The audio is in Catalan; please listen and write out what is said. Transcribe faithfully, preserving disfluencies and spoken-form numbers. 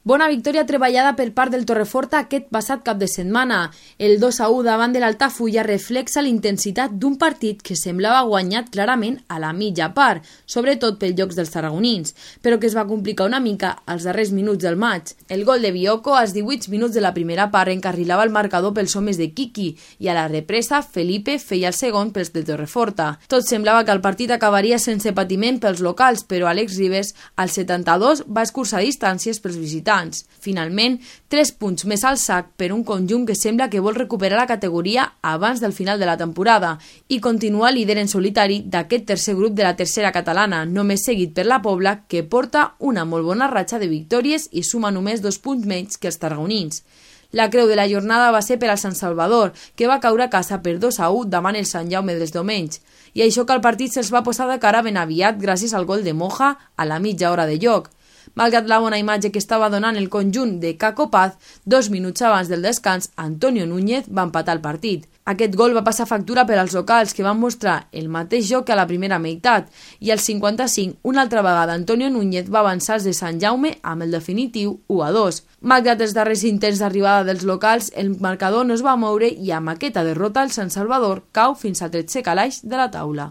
Bona victòria treballada per part del Torreforta aquest passat cap de setmana. El dos a u davant de l'Altafulla reflexa l'intensitat d'un partit que semblava guanyat clarament a la mitja part, sobretot pels llocs dels tarragonins, però que es va complicar una mica als darrers minuts del maig. El gol de Bioko als divuit minuts de la primera part encarrilava el marcador pels homes de Quiqui i a la represa Felipe feia el segon pels del Torreforta. Tot semblava que el partit acabaria sense patiment pels locals, però Àlex Ribes al setanta-dos va escurçar distàncies pels visitants. Finalment, tres punts més al sac per un conjunt que sembla que vol recuperar la categoria abans del final de la temporada i continuar líder en solitari d'aquest tercer grup de la tercera catalana, només seguit per la Pobla, que porta una molt bona ratxa de victòries i suma només dos punts menys que els tarragonins. La creu de la jornada va ser per al Sant Salvador, que va caure a casa per dos a u davant el Sant Jaume dels Domenys, i això que el partit se'ls va posar de cara ben aviat gràcies al gol de Moja a la mitja hora de joc. Malgrat la bona imatge que estava donant el conjunt de Caco Paz, dos minuts abans del descans, Antonio Núñez va empatar el partit. Aquest gol va passar factura per als locals, que van mostrar el mateix joc que a la primera meitat, i al cinquanta-cinc, una altra vegada, Antonio Núñez va avançar de Sant Jaume amb el definitiu u a dos. Malgrat els darrers intents d'arribada dels locals, el marcador no es va moure i amb aquesta derrota el Sant Salvador cau fins al tretzè calaix de la taula.